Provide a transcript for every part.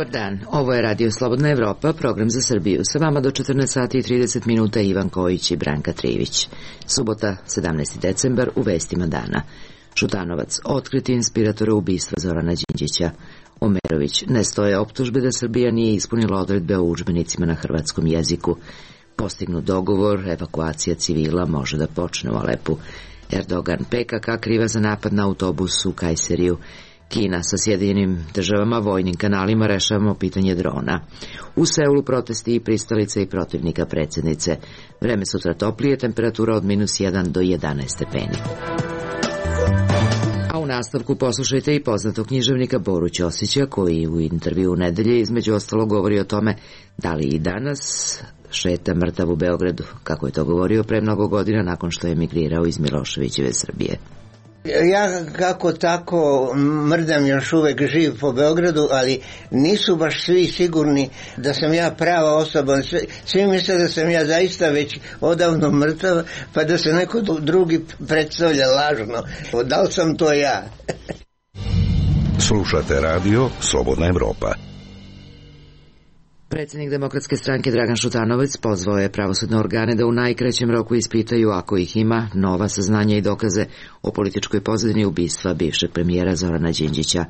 Dobar dan, ovo je Radio Slobodna Evropa, program za Srbiju. Sa vama do 14 sati i 30 minuta Ivan Kojić i Branka Trivić. Subota, 17. decembar, u vestima dana. Šutanovac, otkriti inspiratora ubistva Zorana Đinđića. Omerović, ne stoje optužbe da Srbija nije ispunila odredbe o udžbenicima na hrvatskom jeziku. Postignut dogovor, evakuacija civila može da počne u Alepu. Erdogan, PKK kriva za napad na autobus u Kajseriju. Kina sa Sjedinjenim državama vojnim kanalima rešavamo pitanje drona. U Seulu protesti i pristalice i protivnika predsjednice. Vreme sutra toplije, temperatura od -1 do 11 stepeni. A u nastavku poslušajte i poznatog književnika Boru Ćosića, koji u intervju u nedelje između ostalo govori o tome da li i danas šeta mrtav u Beogradu, kako je to govorio pre mnogo godina nakon što je emigrirao iz Miloševićeve Srbije. Ja kako tako mrdam još uvek živ po Beogradu, ali nisu baš svi sigurni da sam ja prava osoba. Svi misle da sam ja zaista već odavno mrtav, pa da se neko drugi predstavlja lažno. Da li sam to ja? Slušate radio Slobodna Evropa. Predsjednik Demokratske stranke Dragan Šutanovac pozvao je pravosudne organe da u najkraćem roku ispitaju, ako ih ima, nova saznanja i dokaze o političkoj pozadini ubistva bivšeg premijera Zorana Đinđića.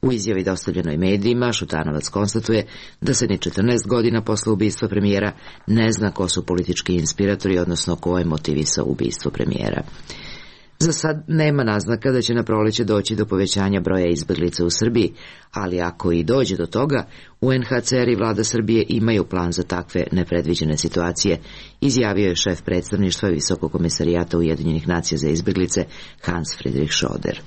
U izjavi dostavljenoj medijima Šutanovac konstatuje da se ni 14 godina posle ubistva premijera ne zna ko su politički inspiratori, odnosno ko je motivisao ubistvo premijera. Za sad nema naznaka da će na proleće doći do povećanja broja izbeglica u Srbiji, ali ako i dođe do toga, UNHCR i vlada Srbije imaju plan za takve nepredviđene situacije, izjavio je šef predstavništva Visokog komesarijata Ujedinjenih nacija za izbeglice Hans Friedrich Schoder.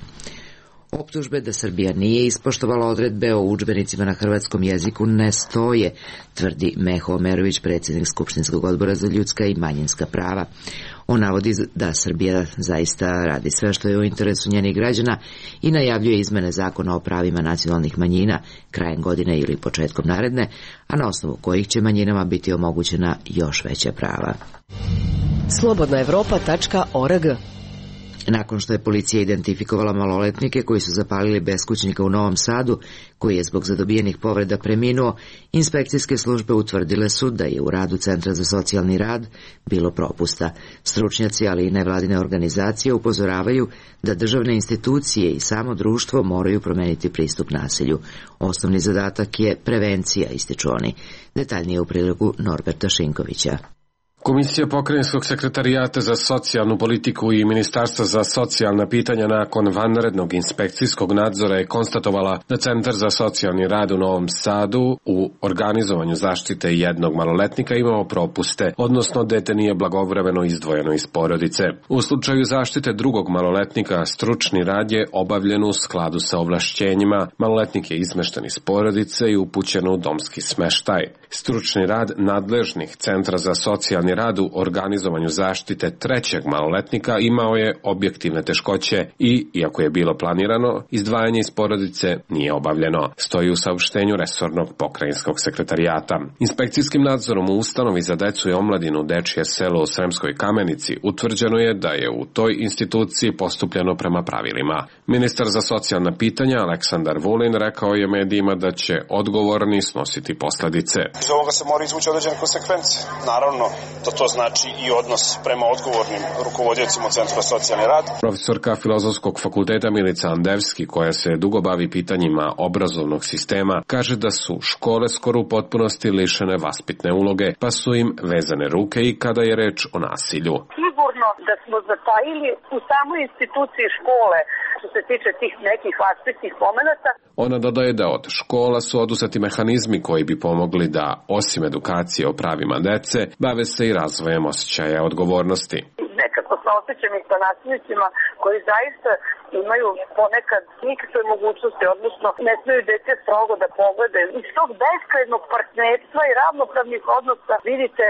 Optužbe da Srbija nije ispoštovala odredbe o udžbenicima na hrvatskom jeziku ne stoje, tvrdi Meho Omerović, predsjednik Skupštinskog odbora za ljudska i manjinska prava. On navodi da Srbija zaista radi sve što je u interesu njenih građana i najavljuje izmene zakona o pravima nacionalnih manjina krajem godine ili početkom naredne, a na osnovu kojih će manjinama biti omogućena još veća prava. Slobodnaevropa.org. Nakon što je policija identifikovala maloletnike koji su zapalili beskućnika u Novom Sadu, koji je zbog zadobijenih povreda preminuo, inspekcijske službe utvrdile su da je u radu Centra za socijalni rad bilo propusta. Stručnjaci, ali i nevladine organizacije upozoravaju da državne institucije i samo društvo moraju promeniti pristup nasilju. Osnovni zadatak je prevencija, ističu oni. Detaljnije u prilogu Norberta Šinkovića. Komisija Pokrajinskog sekretarijata za socijalnu politiku i Ministarstva za socijalna pitanja nakon vanrednog inspekcijskog nadzora je konstatovala da Centar za socijalni rad u Novom Sadu u organizovanju zaštite jednog maloletnika imao propuste, odnosno dete nije blagovremeno izdvojeno iz porodice. U slučaju zaštite drugog maloletnika, stručni rad je obavljen u skladu sa ovlašćenjima. Maloletnik je izmešten iz porodice i upućen u domski smeštaj. Stručni rad nadležnih Centra za socijalni rad u organizovanju zaštite trećeg maloletnika imao je objektivne teškoće i, iako je bilo planirano, izdvajanje iz porodice nije obavljeno, stoji u saopštenju resornog pokrajinskog sekretarijata. Inspekcijskim nadzorom u ustanovi za decu i omladinu Dečije selo u Sremskoj Kamenici utvrđeno je da je u toj instituciji postupljeno prema pravilima. Ministar za socijalna pitanja Aleksandar Vulin rekao je medijima da će odgovorni snositi posledice. Iz ovoga se mora izvući određene konsekvence. Naravno, da to znači i odnos prema odgovornim rukovodiocima Centra socijalni rad. Profesorka Filozofskog fakulteta Milica Andevski, koja se dugo bavi pitanjima obrazovnog sistema, kaže da su škole skoro u potpunosti lišene vaspitne uloge, pa su im vezane ruke i kada je reč o nasilju. Sigurno da smo zatajili u samoj instituciji škole što se tiče tih nekih vaspitnih momenata. Ona dodaje da od škola su oduzeti mehanizmi koji bi pomogli da, osim edukacije o pravima dece, bave se i razvojem osjećaja odgovornosti. Nekako se osjećam i sa nasilnicima koji zaista imaju ponekad nikakve mogućnosti, odnosno ne smiju dete strogo da pogledaju. Iz tog beskrajnog partnerstva i ravnopravnih odnosa vidite,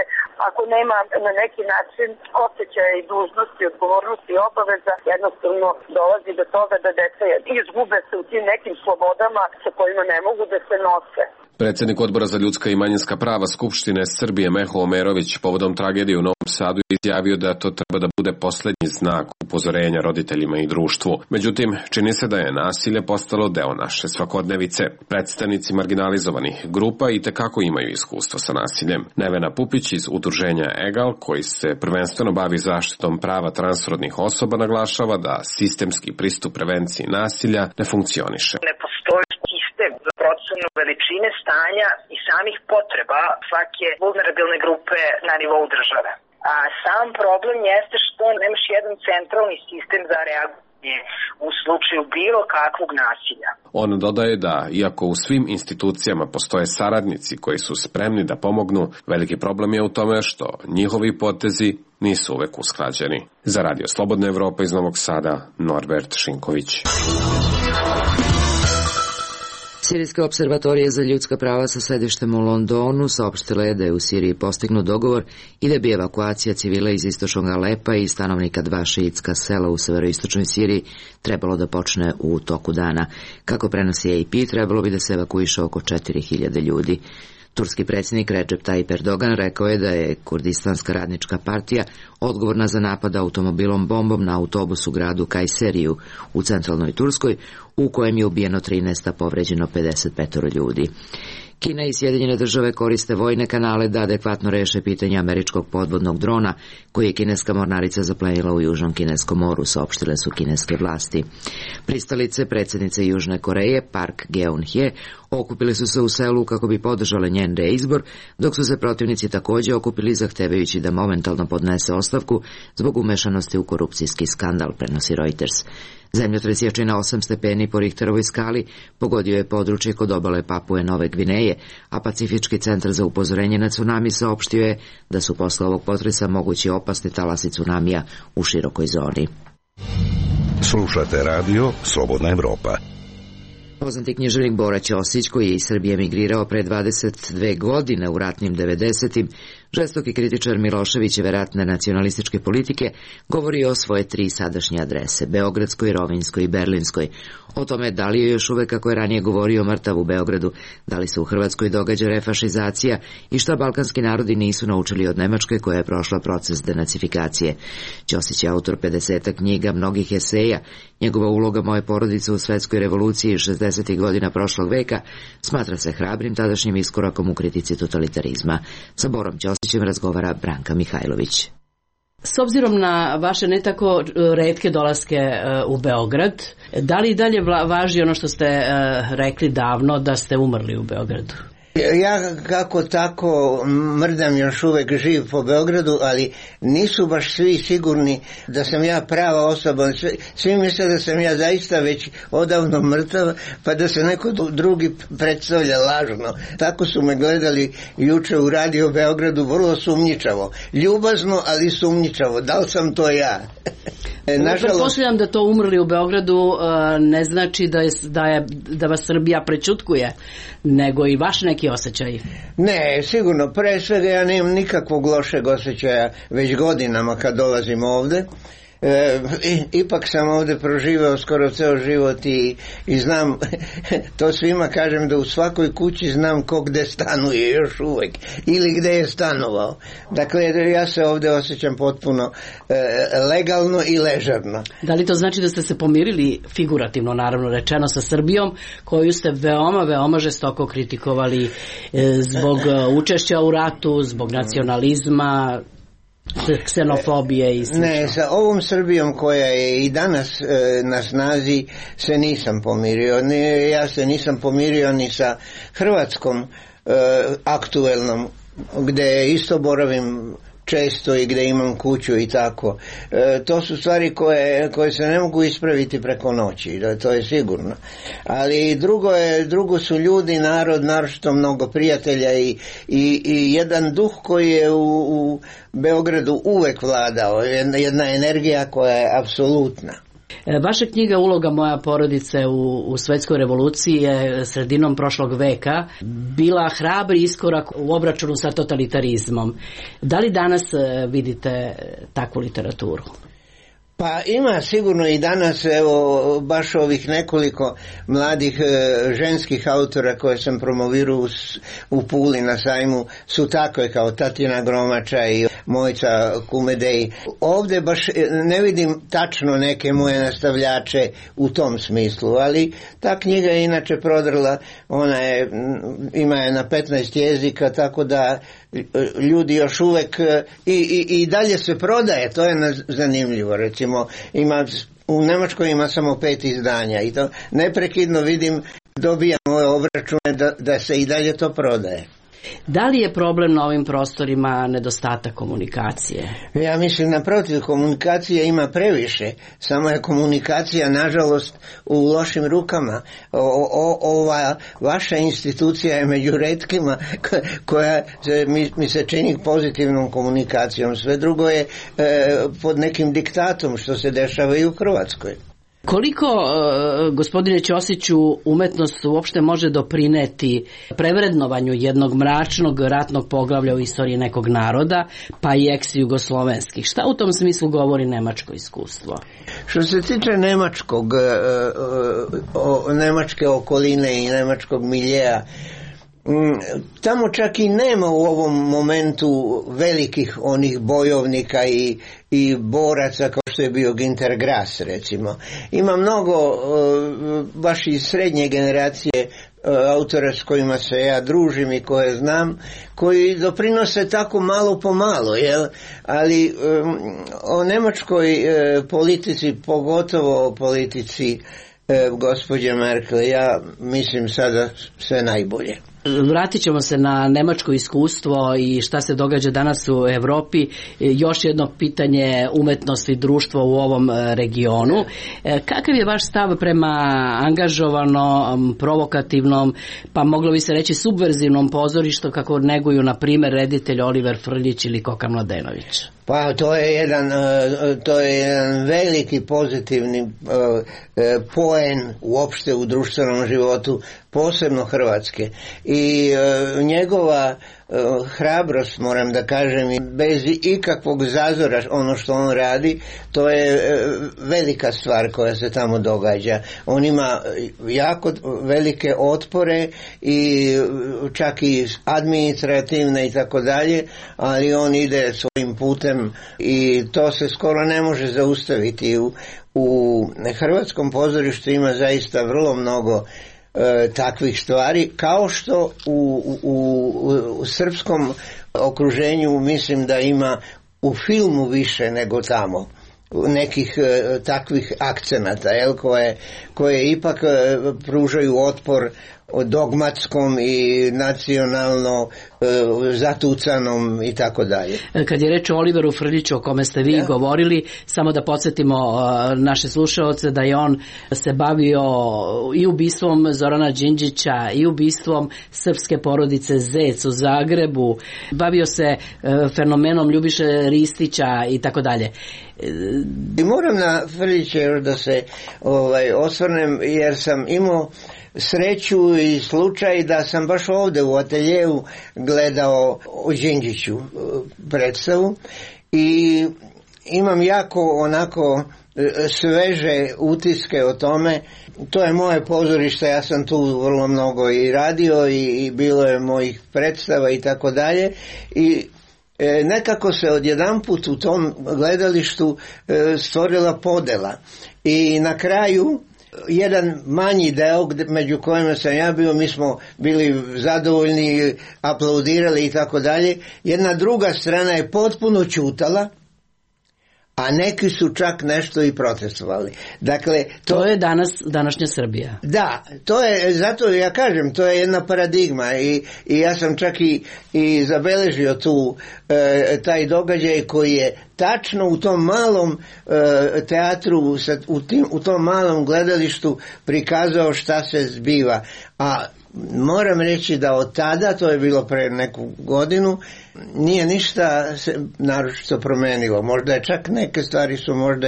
ako nema na neki način osjećaja i dužnosti, odgovornosti i obaveza, jednostavno dolazi do toga da deca izgube se u tim nekim slobodama sa kojima ne mogu da se nose. Predsjednik Odbora za ljudska i manjinska prava Skupštine Srbije Meho Omerović povodom tragedije u Novom Sadu je izjavio da to treba da bude poslednji znak upozorenja roditeljima i društvu. Međutim, čini se da je nasilje postalo deo naše svakodnevice. Predstavnici marginalizovanih grupa itekako imaju iskustvo sa nasiljem. Nevena Pupić iz udruženja EGAL, koji se prvenstveno bavi zaštitom prava transrodnih osoba, naglašava da sistemski pristup prevenciji nasilja ne funkcioniše. Ne postoji sistem za procenu veličine stanja i samih potreba svake vulnerabilne grupe na nivou države. A sam problem jeste što nemaš jedan centralni sistem za reagovanje u slučaju bilo kakvog nasilja. On dodaje da, iako u svim institucijama postoje saradnici koji su spremni da pomognu, veliki problem je u tome što njihovi potezi nisu uvek usklađeni. Za Radio Slobodna Evropa iz Novog Sada, Norbert Šinković. Sirijska observatorija za ljudska prava sa sedištem u Londonu saopštila je da je u Siriji postignut dogovor i da bi evakuacija civila iz istočnog Alepa i stanovnika 2 šiitska sela u severoistočnoj Siriji trebalo da počne u toku dana. Kako prenosi AP, trebalo bi da se evakuiše oko 4000 ljudi. Turski predsjednik Recep Tayyip Erdogan rekao je da je Kurdistanska radnička partija odgovorna za napad automobilom bombom na autobus u gradu Kajseriju u centralnoj Turskoj, u kojem je ubijeno 13, a povređeno 55 ljudi. Kina i Sjedinjene države koriste vojne kanale da adekvatno reše pitanje američkog podvodnog drona koji je kineska mornarica zaplenila u Južnom kineskom moru, saopštile su kineske vlasti. Pristalice predsjednice Južne Koreje Park Geun-hye okupili su se u selu kako bi podržale njen reizbor, dok su se protivnici također okupili zahtevajući da momentalno podnese ostavku zbog umešanosti u korupcijski skandal, prenosi Reuters. Zemljotres jači na 8 stepeni po Richterovoj skali pogodio je područje kod obale Papue Nove Gvineje, a Pacifički centar za upozorenje na tsunami saopštio je da su posle ovog potresa mogući opasni talasi tsunamija u širokoj zoni. Slušate radio Slobodna Evropa. Poznati književnik Bora Ćosić, koji je iz Srbije emigrirao pre 22 godine u ratnim 90-im, žestoki kritičar Miloševićeve ratne nacionalističke politike, govori o svoje 3 sadašnje adrese, Beogradskoj, Rovinjskoj i Berlinskoj. O tome da li je još uvek, kako je ranije govorio, mrtav u Beogradu, da li se u Hrvatskoj događa refašizacija i šta balkanski narodi nisu naučili od Nemačke koja je prošla proces denacifikacije. Ćosić je autor 50 knjiga, mnogih eseja. Njegova uloga moje porodice u svetskoj revoluciji 60. godina prošlog veka smatra se hrabrim tadašnjim iskorakom u kritici totalitarizma. Sa Borom Ćosićem razgovara Branka Mihajlović. S obzirom na vaše ne tako retke dolaske u Beograd, da li i dalje važi ono što ste rekli davno da ste umrli u Beogradu? Ja kako tako mrdam još uvek živ po Beogradu, ali nisu baš svi sigurni da sam ja prava osoba. Svi misle da sam ja zaista već odavno mrtav, pa da se neko drugi predstavlja lažno. Tako su me gledali juče u Radio Beogradu, vrlo sumnjičavo. Ljubazno, ali sumnjičavo. Da li sam to ja? Pretpostavljam da to umrli u Beogradu ne znači da vas Srbija prećutkuje, nego i vaš neki osjećaj. Ne, sigurno. Pre svega ja nemam nikakvog lošeg osjećaja već godinama kad dolazim ovde. Ipak sam ovde proživao skoro ceo život i znam, to svima kažem, da u svakoj kući znam ko gde stanuje još uvek ili gde je stanovao. Dakle, ja se ovde osjećam potpuno legalno i ležerno. Da li to znači da ste se pomirili, figurativno naravno rečeno, sa Srbijom, koju ste veoma žestoko kritikovali zbog učešća u ratu, zbog nacionalizma, ksenofobije i slično? Ne, sa ovom Srbijom koja je i danas na snazi se nisam pomirio. Ja se nisam pomirio ni sa Hrvatskom aktuelnom, gde isto boravim često i gde imam kuću i tako. To su stvari koje se ne mogu ispraviti preko noći, to je sigurno. Ali drugo su ljudi, narod, naročito mnogo prijatelja i jedan duh koji je u Beogradu uvek vladao, jedna energija koja je apsolutna. Vaša knjiga Uloga moja porodice u svetskoj revoluciji je sredinom prošlog veka bila hrabri iskorak u obračunu sa totalitarizmom. Da li danas vidite takvu literaturu? Pa ima sigurno i danas, evo, baš ovih nekoliko mladih ženskih autora koje sam promovirao u Puli na sajmu su takve kao Tatjana Gromača i Mojca Kumedej. Ovdje baš ne vidim tačno neke moje nastavljače u tom smislu, ali ta knjiga je inače prodrla, ima je na 15 jezika, tako da ljudi još uvek i dalje se prodaje, to je zanimljivo. Recimo, u Nemačkoj ima samo 5 izdanja i to neprekidno vidim, dobijam ove obračune da se i dalje to prodaje. Da li je problem na ovim prostorima nedostatak komunikacije? Ja mislim, naprotiv, komunikacije ima previše, samo je komunikacija nažalost u lošim rukama. Ova vaša institucija je među retkima koja mi se čini pozitivnom komunikacijom, sve drugo je pod nekim diktatom što se dešava i u Hrvatskoj. Koliko, gospodine Ćosiću, umetnost uopšte može doprineti prevrednovanju jednog mračnog ratnog poglavlja u istoriji nekog naroda, pa i ex-jugoslovenskih? Šta u tom smislu govori nemačko iskustvo? Što se tiče nemačke okoline i nemačkog miljeja, tamo čak i nema u ovom momentu velikih onih bojovnika i boraca kao što je bio Günter Grass, recimo. Ima mnogo baš iz srednje generacije autora s kojima se ja družim i koje znam, koji doprinose tako malo po malo, ali o nemačkoj politici, pogotovo o politici gospođe Merkel, ja mislim sada sve najbolje. Vratit ćemo se na nemačko iskustvo i šta se događa danas u Evropi. Još jedno pitanje umetnosti društva u ovom regionu. Kakav je vaš stav prema angažovanom, provokativnom, pa moglo bi se reći subverzivnom pozorištu kako neguju, na primjer, reditelj Oliver Frljić ili Koka Mladenović? Pa to je jedan veliki pozitivni poen uopšte u društvenom životu, posebno Hrvatske. I njegova hrabrost, moram da kažem, bez ikakvog zazora ono što on radi, to je velika stvar koja se tamo događa. On ima jako velike otpore i čak i administrativne i tako dalje, ali on ide svojim putem i to se skoro ne može zaustaviti. U hrvatskom pozorištu ima zaista vrlo mnogo takvih stvari, kao što u srpskom okruženju mislim da ima u filmu više nego tamo nekih takvih akcenata, koje ipak pružaju otpor dogmatskom i nacionalno zatucanom i tako dalje. Kad je reč o Oliveru Frljiću, o kome ste vi govorili, samo da podsjetimo naše slušaoce da je on se bavio i ubistvom Zorana Đinđića i ubistvom srpske porodice Zec u Zagrebu, bavio se fenomenom Ljubiše Ristića i tako dalje. I moram na Frljića još da se osvrnem, jer sam imao sreću i slučaj da sam baš ovdje u ateljeu gledao o Đinđiću predstavu i imam jako onako sveže utiske o tome. To je moje pozorište, ja sam tu vrlo mnogo i radio i bilo je mojih predstava i tako dalje i nekako se odjedanput u tom gledalištu stvorila podela i na kraju jedan manji deo među kojima sam ja bio, mi smo bili zadovoljni, aplaudirali i tako dalje. Jedna druga strana je potpuno ćutala, a neki su čak nešto i protestovali. Dakle, to je današnja Srbija. Da, to je, zato ja kažem, to je jedna paradigma i ja sam čak i zabeležio tu taj događaj koji je tačno u tom malom teatru, u tom malom gledalištu prikazao šta se zbiva. A moram reći da od tada, to je bilo pre neku godinu, nije ništa se naročito promenilo. Možda je čak neke stvari su možda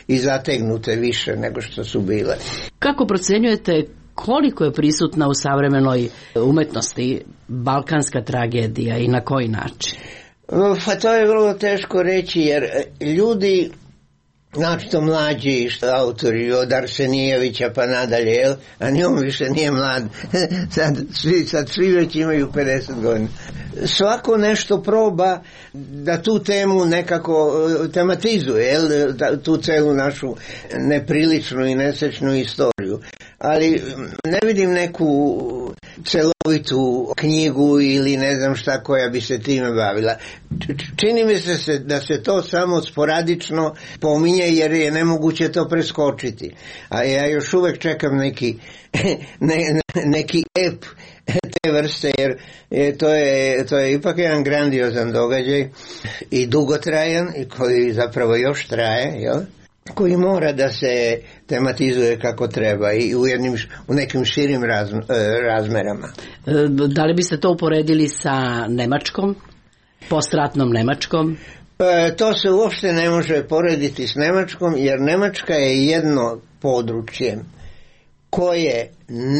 i zategnute više nego što su bile. Kako procenjujete koliko je prisutna u savremenoj umetnosti balkanska tragedija i na koji način? Pa to je vrlo teško reći, jer ljudi znači to mlađi autori od Arsenijevića pa nadalje, jel? A ni on više nije mlad. Sad svi već imaju 50 godina. Svako nešto proba da tu temu nekako tematizuje, jel? Tu celu našu nepriličnu i nesrećnu istoriju. Ali ne vidim neku celovitu knjigu ili ne znam šta koja bi se time bavila. Čini mi se da se to samo sporadično pominje jer je nemoguće to preskočiti. A ja još uvek čekam neki ep te vrste jer to je ipak jedan grandiozan događaj i dugotrajan i koji zapravo još traje, jel? Koji mora da se tematizuje kako treba i u nekim širim razmerama. Da li biste to uporedili sa Nemačkom, postratnom Nemačkom? To se uopšte ne može porediti s Nemačkom jer Nemačka je jedno područje koje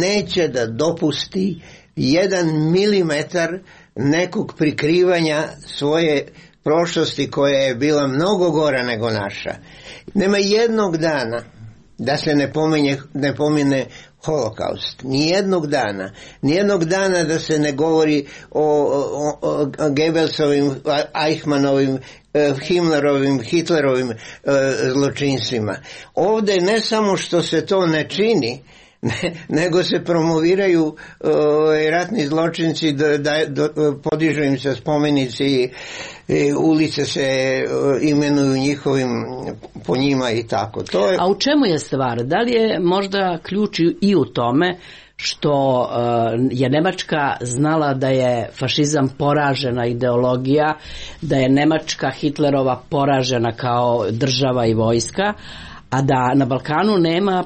neće da dopusti 1 milimetar nekog prikrivanja svoje prošlosti koja je bila mnogo gora nego naša. Nema jednog dana da se ne pomene Holokaust. Nijednog dana da se ne govori o Goebbelsovim, Eichmannovim, Himmlerovim, Hitlerovim zločinstvima. Ovdje ne samo što se to ne čini, nego se promoviraju ratni zločinci, podižu im se spomenici, ulice se imenuju po njima i tako. A u čemu je stvar? Da li je možda ključ i u tome što je Nemačka znala da je fašizam poražena ideologija, da je Nemačka Hitlerova poražena kao država i vojska, a da na Balkanu nema,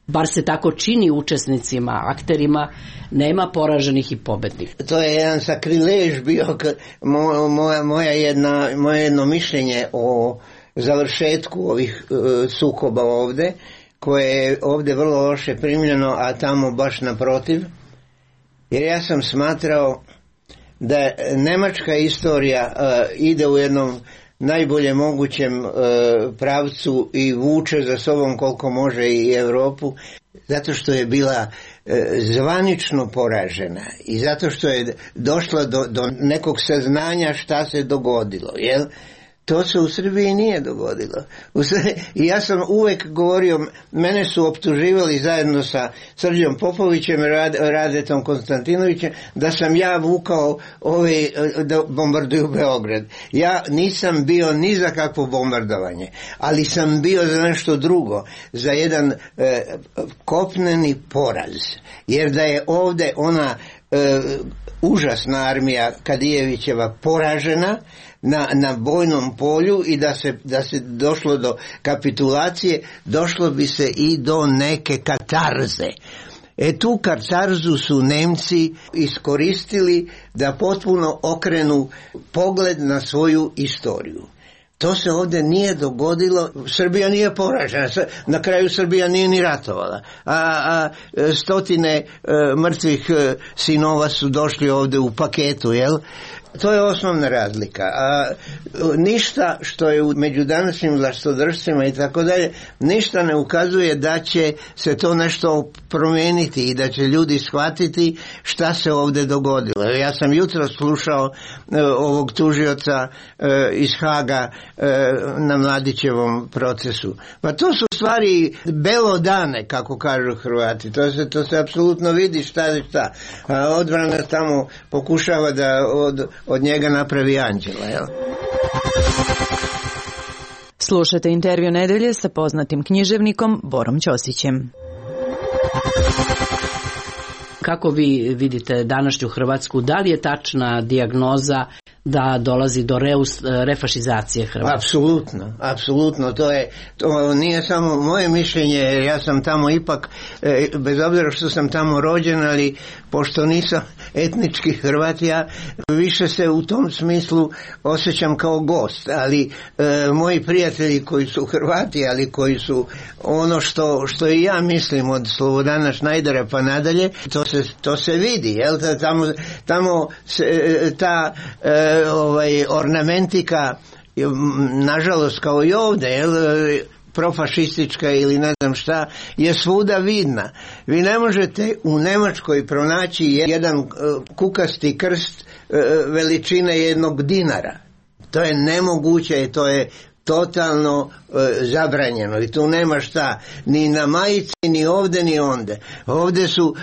bar se tako čini učesnicima, akterima, nema poraženih i pobednih. To je jedan sakrilež bio moje jedno mišljenje o završetku ovih sukoba ovde, koje je ovde vrlo loše primljeno, a tamo baš naprotiv. Jer ja sam smatrao da nemačka istorija ide u jednom najbolje mogućem pravcu i vuče za sobom koliko može i Europu, zato što je bila zvanično poražena i zato što je došla do nekog saznanja šta se dogodilo, jel? To se u Srbiji nije dogodilo. I ja sam uvek govorio, mene su optuživali zajedno sa Srđom Popovićem, Radetom Konstantinovićem, da sam ja vukao da bombarduju Beograd. Ja nisam bio ni za kakvo bombardovanje, ali sam bio za nešto drugo, za jedan kopneni poraz. Jer da je ovde ona užasna armija Kadijevićeva poražena na bojnom polju i da se došlo do kapitulacije, došlo bi se i do neke katarze. Tu katarzu su Nemci iskoristili da potpuno okrenu pogled na svoju istoriju. To se ovdje nije dogodilo. Srbija nije poražena. Na kraju Srbija nije ni ratovala. A stotine mrtvih sinova su došli ovdje u paketu, jel? To je osnovna razlika. A ništa što je među današnjim vlastodržcima i tako dalje, ništa ne ukazuje da će se to nešto promijeniti i da će ljudi shvatiti šta se ovdje dogodilo. Ja sam jutro slušao ovog tužioca iz Haga na Mladićevom procesu. Pa to su stvari belodane, kako kažu Hrvati. To se apsolutno vidi šta je šta. A odbrana tamo pokušava da od njega napravi anđela, jel? Slušate intervju nedelje sa poznatim književnikom Borom Ćosićem. Kako vi vidite današnju Hrvatsku? Da li je tačna dijagnoza da dolazi do refašizacije Hrvatske? Apsolutno. To nije samo moje mišljenje, jer ja sam tamo ipak, bez obzira što sam tamo rođen, ali pošto nisam etnički Hrvat, ja više se u tom smislu osjećam kao gost, ali moji prijatelji koji su Hrvati, ali koji su ono što i ja mislim od Slobodana Šnajdera pa nadalje, to se vidi, jel? Tamo ta ornamentika nažalost kao i ovde, profašistička ili ne znam šta, je svuda vidna. Vi ne možete u Nemačkoj pronaći jedan kukasti krst veličine jednog dinara. To je nemoguće, to je totalno zabranjeno i tu nema šta ni na majici, ni ovde, ni onde. Ovde su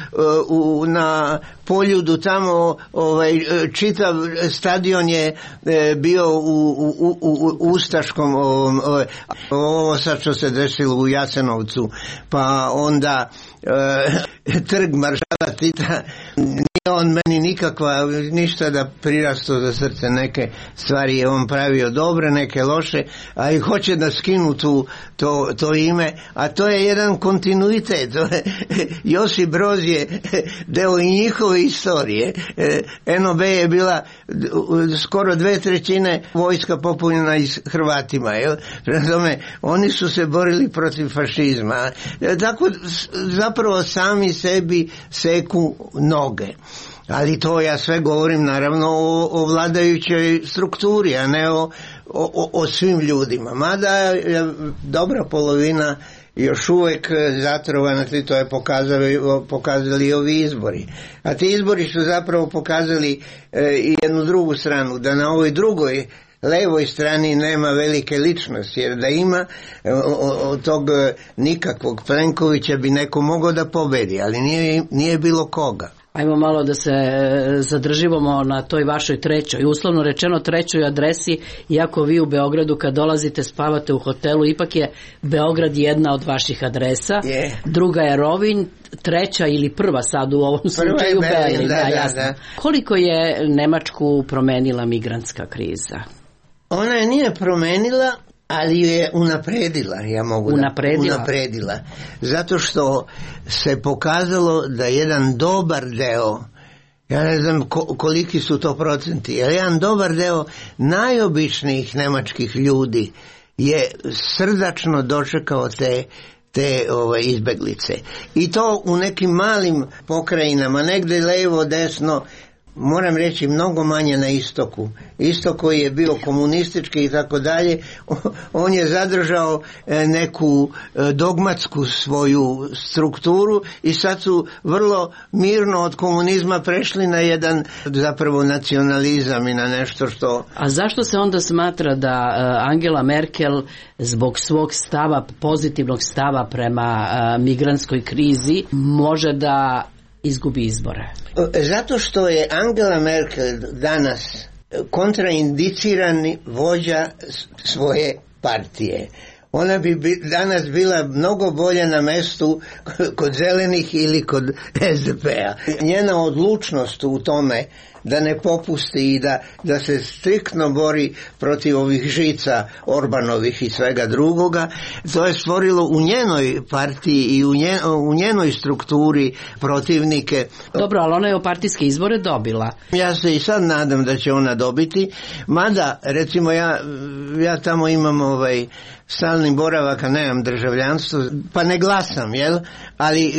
na Poljudu tamo čitav stadion je bio u ustaškom ovo sad što se desilo u Jasenovcu, pa onda trg maršala Tita, nije on meni nikakva ništa da prirastu za srce. Neke stvari je on pravio dobre, neke loše, a i hoće da skinu to ime, a to je jedan kontinuitet. Josip Broz je deo i njihove istorije. NOB je bila skoro 2/3 vojska popunjena iz Hrvatima. Prema tome, oni su se borili protiv fašizma. Tako zapravo sami sebi seku noge. Ali to ja sve govorim naravno o vladajućoj strukturi, a ne o svim ljudima. Mada je dobra polovina još uvijek zatrovana, to je pokazali i ovi izbori. A ti izbori su zapravo pokazali i jednu drugu stranu, da na ovoj drugoj levoj strani nema velike ličnosti, jer da ima od tog nikakvog Plenkovića bi neko mogao da pobedi, ali nije bilo koga. Ajmo malo da se zadržimo na toj vašoj trećoj, uslovno rečeno trećoj adresi, iako vi u Beogradu kad dolazite spavate u hotelu, ipak je Beograd jedna od vaših adresa, druga je Rovinj, treća ili prva sad u ovom slučaju Berlin. Da. Koliko je Nemačku promenila migrantska kriza? Ona je nije promenila, ali je unapredila, unapredila. Zato što se pokazalo da jedan dobar deo, ja ne znam koliki su to procenti, ali jedan dobar deo najobičnijih nemačkih ljudi je srdačno dočekao te izbeglice. I to u nekim malim pokrajinama, negde levo, desno, moram reći mnogo manje na istoku. Istok koji je bio komunistički i tako dalje, on je zadržao neku dogmatsku svoju strukturu i sad su vrlo mirno od komunizma prešli na jedan zapravo nacionalizam i na nešto što... A zašto se onda smatra da Angela Merkel zbog svog stava, pozitivnog stava prema migrantskoj krizi može da izgubi izbore? Zato što je Angela Merkel danas kontraindicirani vođa svoje partije. Ona bi danas bila mnogo bolje na mestu kod zelenih ili kod SDP-a. Njena odlučnost u tome da ne popusti i da se striktno bori protiv ovih žica Orbanovih i svega drugoga, to je stvorilo u njenoj partiji i u njenoj strukturi protivnike. Dobro, ali ona je u partijske izbore dobila. Ja se i sad nadam da će ona dobiti, mada recimo ja tamo imam stalni boravak, a nemam državljanstvo, pa ne glasam, jel? Ali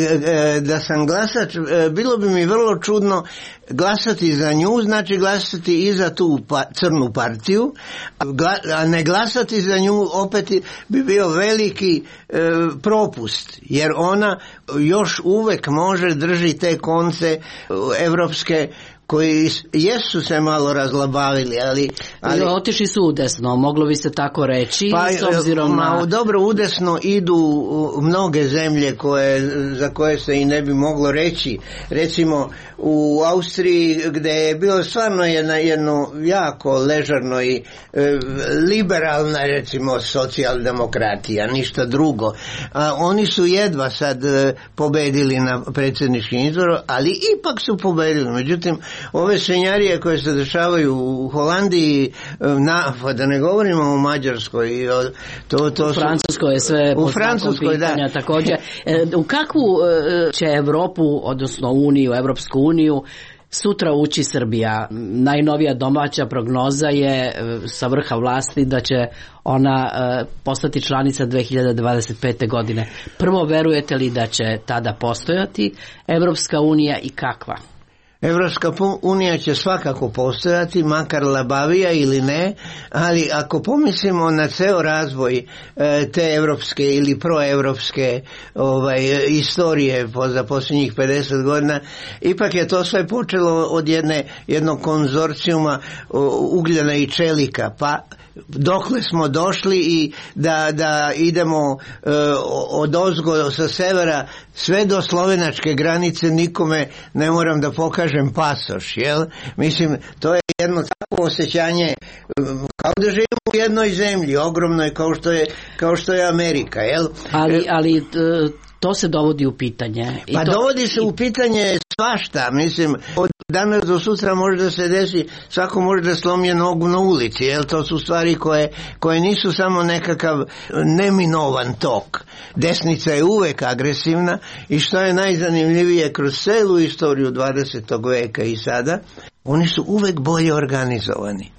da sam glasač, bilo bi mi vrlo čudno glasati za nju, znači glasati i za tu crnu partiju, a ne glasati za nju opet bi bio veliki propust, jer ona još uvek može drži te konce evropske koji jesu se malo razlabavili, ali otišli su udesno, moglo bi se tako reći, s obzirom na... Dobro, udesno idu mnoge zemlje za koje se i ne bi moglo reći. Recimo u Austriji, gde je bilo stvarno jedno jako ležarno i liberalna, recimo, socijaldemokratija, ništa drugo. Oni su jedva sad pobedili na predsjedničkim izboru, ali ipak su pobedili. Međutim, ove svinjarije koje se dešavaju u Holandiji, da ne govorimo o Mađarskoj, u Francuskoj je sve u Francuskoj, pitanja, da. Također. U kakvu će Evropu, odnosno Evropsku uniju, sutra ući Srbija? Najnovija domaća prognoza je sa vrha vlasti da će ona postati članica 2025. godine. Prvo, verujete li da će tada postojati Evropska unija i kakva? Evropska unija će svakako postojati, makar labavija ili ne, ali ako pomislimo na ceo razvoj te evropske ili proevropske istorije za posljednjih 50 godina, ipak je to sve počelo od jednog konzorcijuma ugljena i čelika, pa dokle smo došli i da idemo odozgo sa severa sve do slovenačke granice, nikome ne moram da pokažem pasoš, jel? Mislim, to je jedno tako osjećanje kao da živimo u jednoj zemlji ogromnoj kao što je Amerika, jel? Ali to se dovodi u pitanje. Pa dovodi se u pitanje svašta, mislim, od danas do sutra može da se desi, svako može da slomi nogu na ulici, jel? To su stvari koje nisu samo nekakav neminovan tok. Desnica je uvek agresivna i što je najzanimljivije kroz celu istoriju 20. veka i sada, oni su uvek bolje organizovani.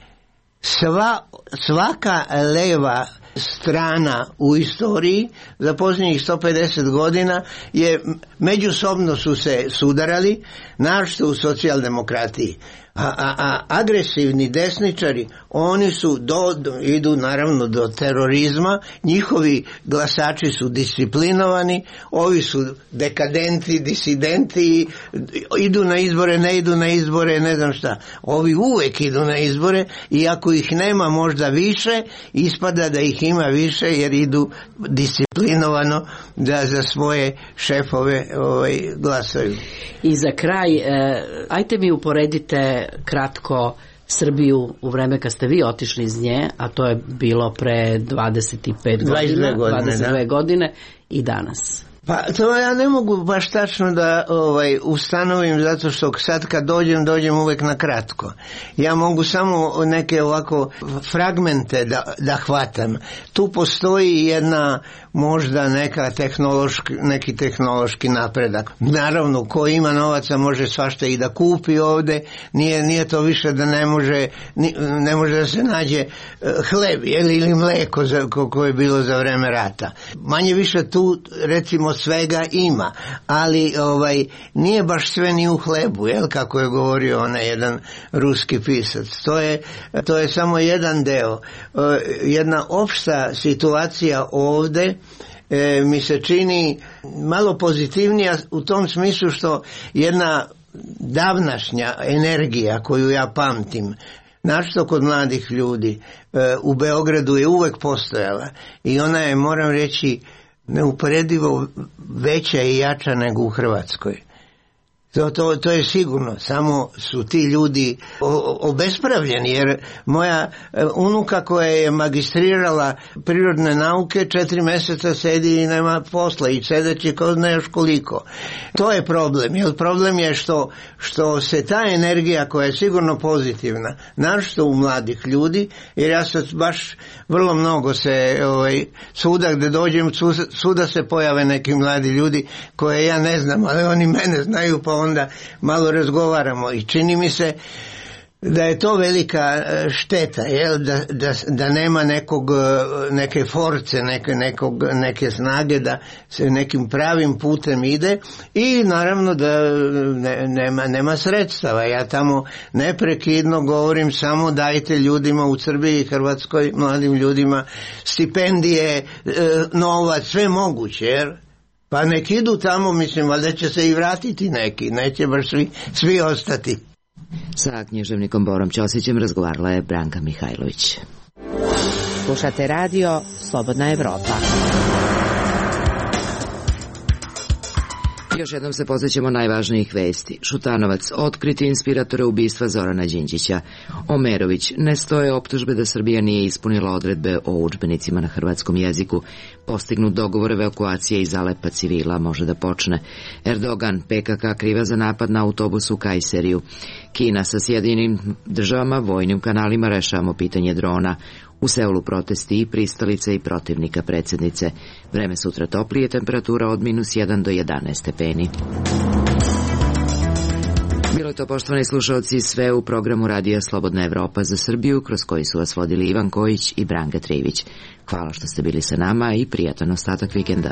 Svaka leva strana u istoriji za posljednjih 150 godina je međusobno su se sudarali, naročito u socijaldemokratiji. A agresivni desničari, oni su idu naravno do terorizma, njihovi glasači su disciplinovani, ovi su dekadenti, disidenti, idu na izbore, ne idu na izbore, ne znam šta. Ovi uvek idu na izbore i ako ih nema možda više, ispada da ih ima više jer idu disciplinovano da za svoje šefove glasaju. I za kraj, ajte mi uporedite kratko Srbiju u vreme kad ste vi otišli iz nje, a to je bilo pre 22 godine i danas. Pa to ja ne mogu baš tačno da ustanovim, zato što sad kad dođem uvek na kratko. Ja mogu samo neke ovako fragmente da hvatam. Tu postoji jedna možda neki tehnološki napredak. Naravno, ko ima novaca može svašta i da kupi ovde, nije to više da ne može da se nađe hleb ili mleko koje je bilo za vreme rata. Manje više tu recimo svega ima, ali nije baš sve ni u hlebu, jel, kako je govorio onaj jedan ruski pisac. To je samo jedan deo. Jedna opšta situacija ovde mi se čini malo pozitivnija u tom smislu što jedna davnašnja energija koju ja pamtim, naročito kod mladih ljudi, u Beogradu je uvek postojala i ona je, moram reći, neuporedivo veća i jača nego u Hrvatskoj. To je sigurno, samo su ti ljudi obespravljeni, jer moja unuka koja je magistrirala prirodne nauke 4 meseca sedi i nema posla i sedeći ko ne još koliko. To je problem, jer problem je što se ta energija koja je sigurno pozitivna, naročito u mladih ljudi, jer ja sad baš vrlo mnogo se svuda gde dođem, svuda se pojave neki mladi ljudi koje ja ne znam, ali oni mene znaju, pa onda malo razgovaramo i čini mi se da je to velika šteta, jel? Da nema neke force, neke snage da se nekim pravim putem ide i naravno da nema sredstava. Ja tamo neprekidno govorim samo dajte ljudima u Srbiji i Hrvatskoj, mladim ljudima stipendije, novac, sve moguće, jer pa nek idu tamo, mislim, valjda će se i vratiti neki, neće baš svi ostati. Sa književnikom Borom Ćosićem razgovarala je Branka Mihajlović. Slušate radio Slobodna Evropa. Još jednom se posvećamo najvažnijih vesti. Šutanovac otkriti inspiratora ubistva Zorana Đinđića. Omerović, ne stoje optužbe da Srbija nije ispunila odredbe o udžbenicima na hrvatskom jeziku. Postignut dogovor evakuacije iz Alepa civila može da počne. Erdogan, PKK kriva za napad na autobus u Kajseriju. Kina sa Sjedinjenim državama vojnim kanalima rešavamo pitanje drona. U Seulu protesti i pristalica i protivnika predsjednice. Vreme sutra toplije, temperatura od -1 do 11 stepeni. Bilo je to, poštovani slušalci, sve u programu Radija Slobodna Evropa za Srbiju, kroz koji su vas vodili Ivan Kojić i Branka Trivić. Hvala što ste bili sa nama i prijatan ostatak vikenda.